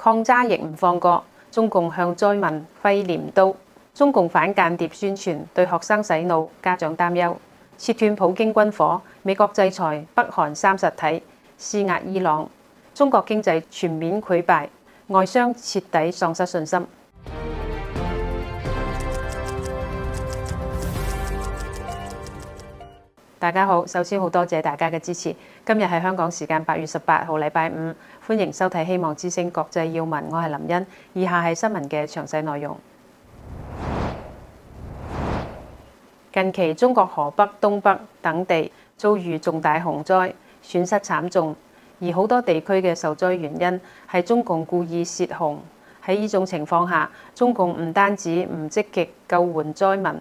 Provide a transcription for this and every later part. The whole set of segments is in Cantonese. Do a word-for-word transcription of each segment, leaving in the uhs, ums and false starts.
抗渣亦唔放過，中共向災民揮鐮刀。中共反間諜宣傳對學生洗腦，家長擔憂。切斷普京軍火，美國制裁北韓三實體，施壓伊朗。中國經濟全面潰敗，外商徹底喪失信心。大家好，首先好多謝大家嘅支持。今日係香港時間八月十八號，禮拜五，歡迎收睇《希望之聲》國際要聞，我係林茵。以下係新聞嘅詳細內容。近期中國河北、東北等地遭遇重大洪災，損失慘重，而好多地區嘅受災原因係中共故意泄洪。喺呢種情況下，中共唔單止唔積極救援災民，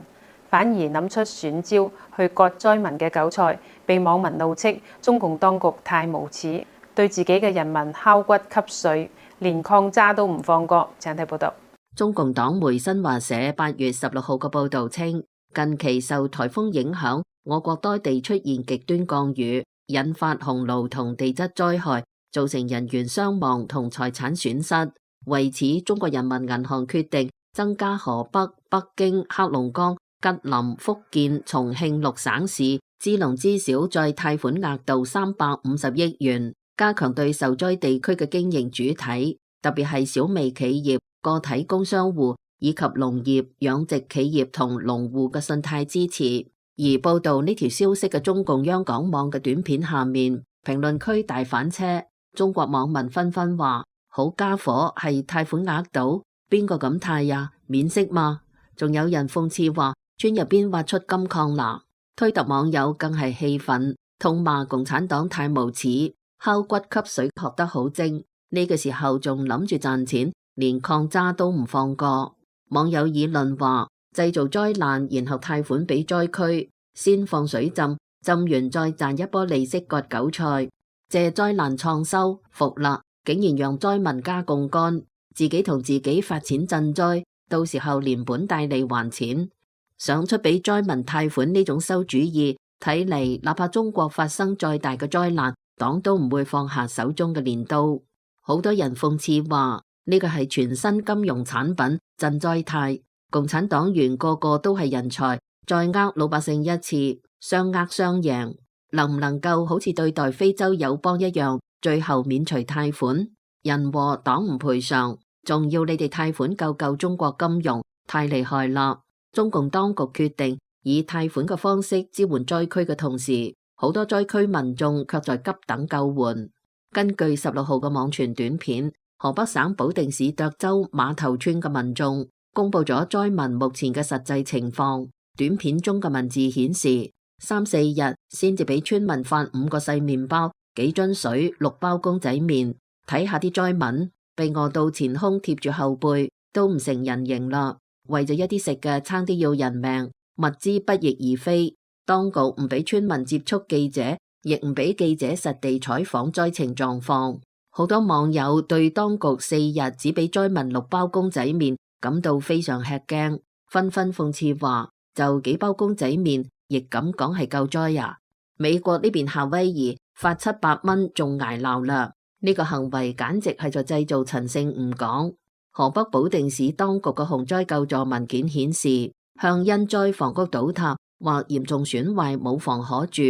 反而諗出選招去割災民嘅韭菜，被網民怒斥中共當局太無恥，對自己嘅人民敲骨吸髓，連抗渣都唔放過。請睇報道。中共黨媒新華社八月十六號嘅報道稱，近期受颱風影響，我國多地出現極端降雨，引發洪澇同地質災害，造成人員傷亡同財產損失。為此，中國人民銀行決定增加河北、北京、黑龍江、吉林、福建、重慶六省市支農支小再貸款額度三百五十億元，加強對受災地區嘅經營主體，特別係小微企業、個體工商戶以及農業、養殖企業同農戶嘅信貸支持。而報道呢條消息嘅中共央廣網嘅短片下面，評論區大翻車，中國網民紛紛話：好家伙，係貸款額度，邊個咁貸呀？免息嘛？仲有人諷刺話：村入邊挖出金礦啦！推特網友更係氣憤，痛罵共產黨太無恥，敲骨吸髓學得好精。呢個時候仲諗住賺錢，連抗渣都唔放過。網友議論話：製造災難，然後貸款俾災區，先放水浸，浸完再賺一波利息割韭菜，借災難創收，服啦！竟然讓災民加槓桿，自己同自己發錢賑災，到時候連本帶利還錢。想出俾災民貸款呢種餿主意，睇嚟哪怕中國發生再大嘅災難，黨都唔會放下手中嘅鐮刀。好多人諷刺話：呢個係全新金融產品賑災貸，共產黨員個個都係人才，再呃老百姓一次，雙呃雙贏。能唔能夠好似對待非洲友邦一樣，最後免除貸款？人禍黨唔賠償，仲要你哋貸款救救中國金融，太厲害啦！中共當局決定以貸款嘅方式支援災區嘅同時，好多災區民眾卻在急等救援。根據十六號嘅網傳短片，河北省保定市涿州碼頭村嘅民眾公布咗災民目前嘅實際情況。短片中嘅文字顯示，三四日先至俾村民發五個細麵包、幾樽水、六包公仔麵。睇下啲災民被餓到前胸貼住後背，都唔成人形啦。為咗一啲食嘅，差啲要人命，物資不翼而飛。當局唔俾村民接觸記者，亦唔俾記者實地採訪災情狀況。好多網友對當局四日只俾災民六包公仔麵感到非常吃驚，紛紛諷刺話：就幾包公仔麵，亦咁講係救災呀？美國呢邊夏威夷發七百蚊仲挨鬧啦，呢個行為簡直係在製造陳勝吳廣。河北保定市當局嘅洪災救助文件顯示，向因災房屋倒塌或嚴重損壞冇房可住、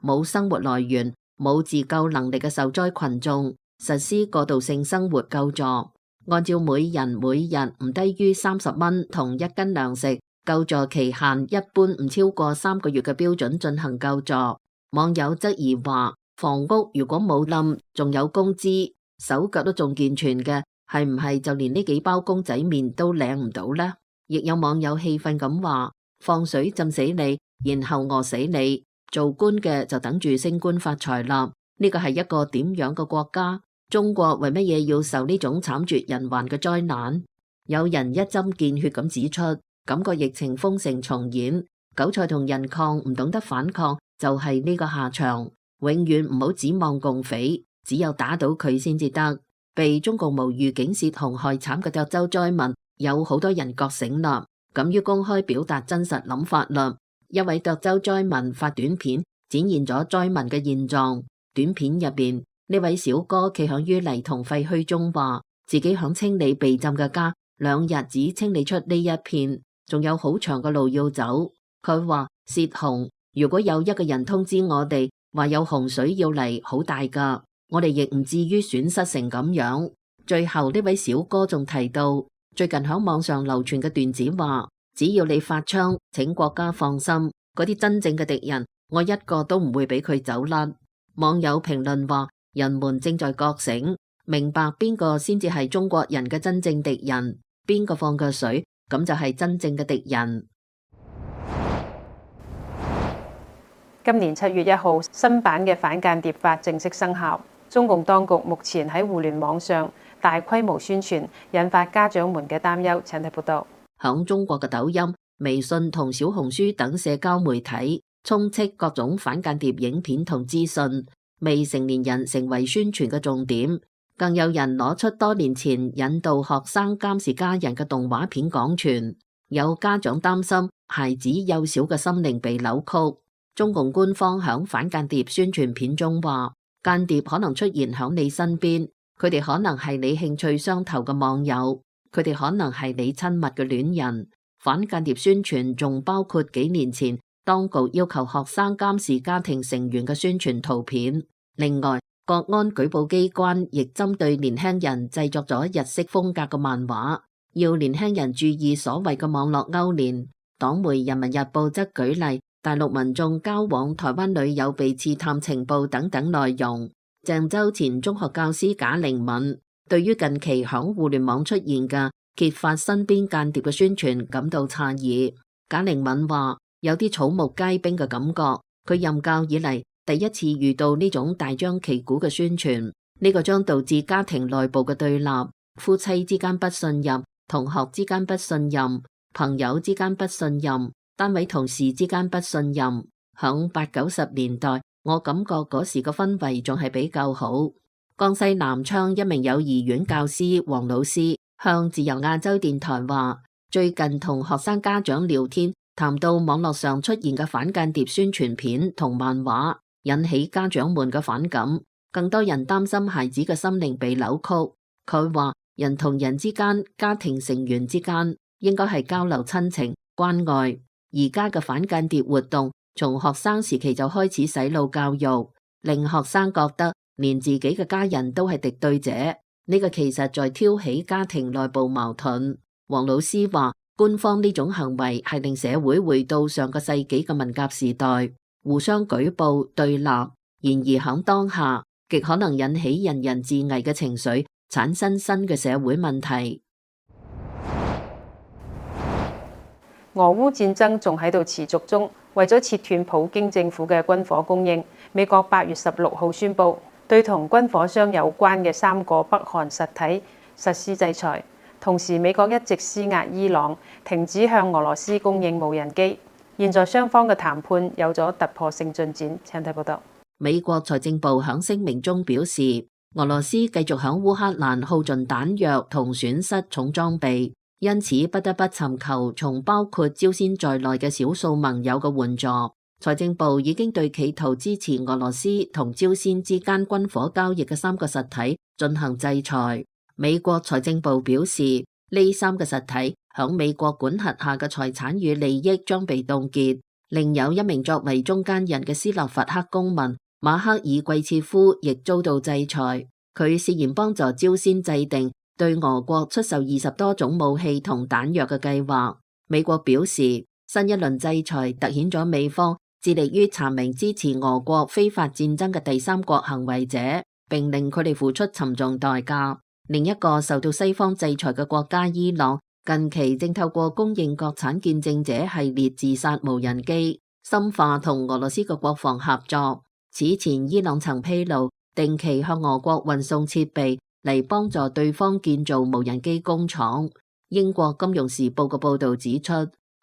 冇生活來源、冇自救能力嘅受災群眾實施過渡性生活救助，按照每人每日唔低於三十蚊同一斤糧食，救助期限一般唔超過三個月嘅標準進行救助。網友質疑話：房屋如果冇冧，仲有工資，手腳都仲健全嘅，係唔係就連呢幾包公仔麵都領唔到呢？亦有網友氣憤咁話：放水浸死你，然後餓死你，做官嘅就等住升官發財啦！呢個係一個點樣嘅國家？中國為乜嘢要受呢種慘絕人寰嘅災難？有人一針見血咁指出，感覺疫情封城重演，韭菜同人抗唔懂得反抗，就係呢個下場。永遠唔好指望共匪，只有打倒佢先至得。被中共無預警泄洪害慘嘅涿州災民，有好多人覺醒啦，敢於公開表達真實諗法啦。一位涿州災民發短片，展現咗災民嘅現狀。短片入邊，呢位小哥企響淤泥同廢墟中話：自己響清理被浸嘅家，兩日只清理出呢一片，仲有好長嘅路要走。佢話泄洪，如果有一個人通知我哋話有洪水要嚟，好大㗎，我哋亦唔至於損失成咁樣。最後呢位小哥仲提到，最近響網上流傳嘅段子話，只要你發槍，請國家放心，嗰啲真正嘅敵人，我一個都唔會俾佢走甩。網友評論話，人們正在覺醒，明白邊個先至係中國人嘅真正敵人，邊個放嘅水，咁就係真正嘅敵人。今年七月一號，新版嘅反間諜法正式生效。中共當局目前喺互聯網上大規模宣傳，引發家長們嘅擔憂。請睇報道。響中國嘅抖音、微信同小紅書等社交媒體，充斥各種反間諜影片同資訊，未成年人成為宣傳嘅重點。更有人攞出多年前引導學生監視家人嘅動畫片廣傳，有家長擔心孩子幼小嘅心靈被扭曲。中共官方響反間諜宣傳片中話，間諜可能出現響你身邊，佢哋可能係你興趣相投嘅網友，佢哋可能係你親密嘅戀人。反間諜宣傳仲包括幾年前當局要求學生監視家庭成員嘅宣傳圖片。另外，國安舉報機關亦針對年輕人製作咗日式風格嘅漫畫，要年輕人注意所謂嘅網絡勾連。黨媒《人民日報》則舉例大陸民眾交往台灣女友被刺探情報等等內容。鄭州前中學教師賈玲敏對於近期響互聯網出現嘅揭發身邊間諜嘅宣傳感到詫異。賈玲敏話有啲草木皆兵嘅感覺，佢任教以嚟第一次遇到呢種大張旗鼓嘅宣傳，呢個將導致家庭內部嘅對立，夫妻之間不信任，同學之間不信任，朋友之間不信任，單位同事之間不信任。響八九十年代，我感覺嗰時個氛圍仲係比較好。江西南昌一名幼兒園教師黃老師向自由亞洲電台話，最近同學生家長聊天，談到網絡上出現嘅反間諜宣傳片同漫畫，引起家長們嘅反感，更多人擔心孩子嘅心靈被扭曲。佢話人同人之間，家庭成員之間應該係交流親情關愛，而家嘅反間諜活動從學生時期就開始洗腦教育，令學生覺得連自己嘅家人都係敵對者，呢個其實在挑起家庭內部矛盾。黃老師話，官方呢種行為係令社會回到上個世紀嘅文革時代，互相舉報對立，然而響當下極可能引起人人自危嘅情緒，產生新嘅社會問題。俄烏戰爭仲喺度持續中，為咗切斷普京政府嘅軍火供應，美國八月十六號宣布對同軍火商有關嘅三個北韓實體實施制裁。同時，美國一直施壓伊朗停止向俄羅斯供應無人機。現在雙方嘅談判有咗突破性進展。請睇報道。美國財政部響聲明中表示，俄羅斯繼續響烏克蘭耗盡彈藥同損失重裝備，因此不得不尋求從包括朝鮮在內嘅少數盟友嘅援助。財政部已經對企圖支持俄羅斯同朝鮮之間軍火交易嘅三個實體進行制裁。美國財政部表示，呢三個實體響美國管轄下嘅財產與利益將被凍結。另有一名作為中間人嘅斯洛伐克公民馬克爾季切夫亦遭到制裁，佢涉嫌幫助朝鮮制定對俄國出售二十多種武器同彈藥嘅計劃。美國表示，新一輪制裁凸顯咗美方致力於查明支持俄國非法戰爭嘅第三國行為者，並令佢哋付出沉重代價。另一個受到西方制裁嘅國家伊朗，近期正透過供應國產見證者系列自殺無人機，深化同俄羅斯嘅國防合作。此前伊朗曾披露，定期向俄國運送設備嚟幫助對方建造無人機工廠。英國金融時報嘅報導指出，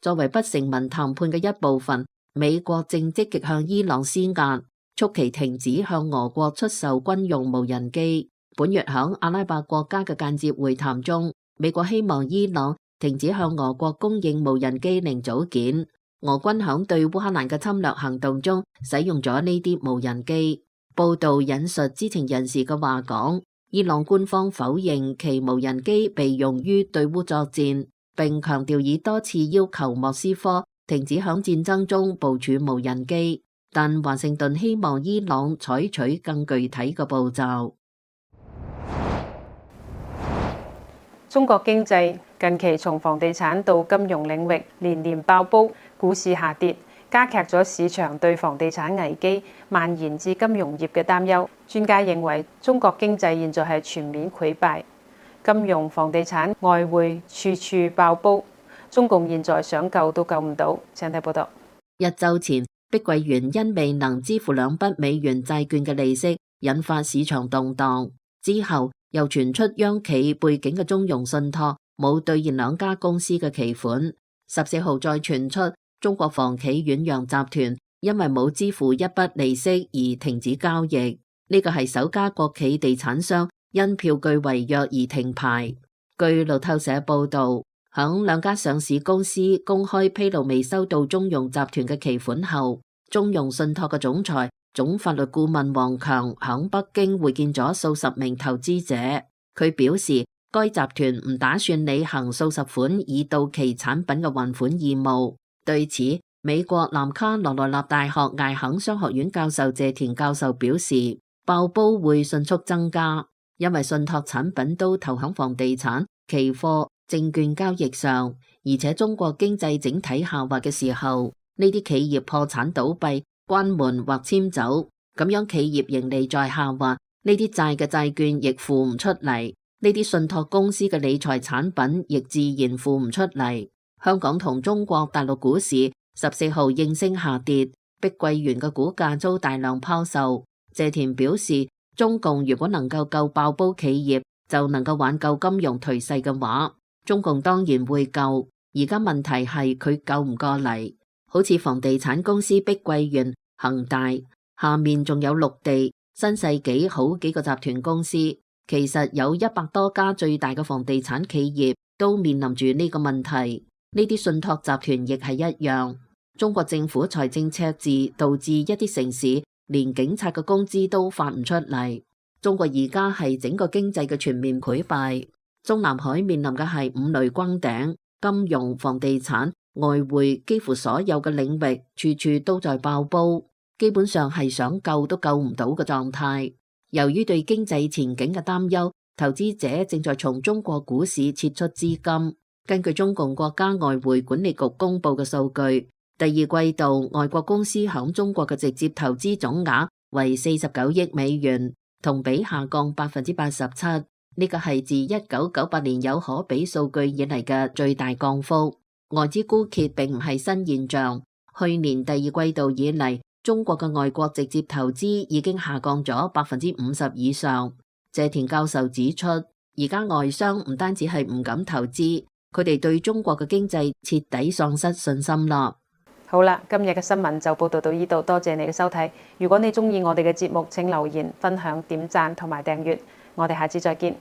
作為不成文談判嘅一部分，美國正積極向伊朗施壓，促其停止向俄國出售軍用無人機。本月響阿拉伯國家嘅間接會談中，美國希望伊朗停止向俄國供應無人機零組件。俄軍響對烏克蘭嘅侵略行動中使用咗呢啲無人機。報道引述知情人士嘅話講，伊朗官方否認其無人機被用於對烏作戰，並強調已多次要求莫斯科停止響戰爭中部署無人機，但華盛頓希望伊朗採取更具體嘅步驟。中國經濟近期從房地產到金融領域連連爆煲，股市下跌，加劇咗市場對房地產危機蔓延至金融業嘅擔憂。專家認為，中國經濟現在係全面潰敗，金融、房地產、外匯處處爆煲，中共現在想救都救唔到。請睇報道。一週前，碧桂園因未能支付兩筆美元債券嘅利息，引發市場動盪。之後又傳出央企背景嘅中融信託冇兌現兩家公司嘅期款。十四號再傳出中國房企遠洋集團因為冇支付一筆利息而停止交易。呢個係首家國企地產商因票據違約而停牌。據路透社報道，響兩家上市公司公開披露未收到中融集團嘅期款後，中融信託嘅總裁、總法律顧問王強響北京會見咗數十名投資者。佢表示，該集團唔打算履行數十款已到期產品嘅還款義務。對此，美國南卡羅來納大學艾肯商學院教授謝田教授表示，爆煲會迅速增加，因為信託產品都投響房地產、期貨、證券交易上，而且中國經濟整體下滑嘅時候，呢啲企業破產倒閉、關門或遷走，咁樣企業盈利在下滑，呢啲債嘅債券亦付唔出嚟，呢啲信託公司嘅理財產品亦自然付唔出嚟。香港同中國大陸股市十四號應聲下跌，碧桂園嘅股價遭大量拋售。謝田表示，中共如果能夠救爆煲企業，就能夠挽救金融頹勢嘅話，中共當然會救。而家問題係佢救唔過嚟，好似房地產公司碧桂園、恒大，下面仲有綠地、新世紀好幾個集團公司，其實有一百多家最大嘅房地產企業都面臨住呢個問題。呢啲信託集團亦係一樣。中國政府財政赤字導致一啲城市連警察嘅工資都發唔出嚟。中國而家係整個經濟嘅全面潰敗。中南海面臨嘅係五雷轟頂，金融、房地產、外匯，幾乎所有嘅領域處處都在爆煲，基本上係想救都救唔到嘅狀態。由於對經濟前景嘅擔憂，投資者正在從中國股市撤出資金。根據中共國家外匯管理局公布嘅數據，第二季度外國公司響中國嘅直接投資總額為四十九億美元，同比下降百分之八十七。呢個係自一九九八年有可比數據以嚟嘅最大降幅。外資枯竭並唔係新現象，去年第二季度以嚟，中國嘅外國直接投資已經下降咗百分之五十以上。謝田教授指出，而家外商唔單止係唔敢投資，佢哋對中國嘅經濟徹底喪失信心啦。好啦，今日嘅新聞就報道到呢度，多謝你嘅收睇。如果你中意我哋嘅節目，請留言、分享、點讚同埋訂閱。我哋下次再見。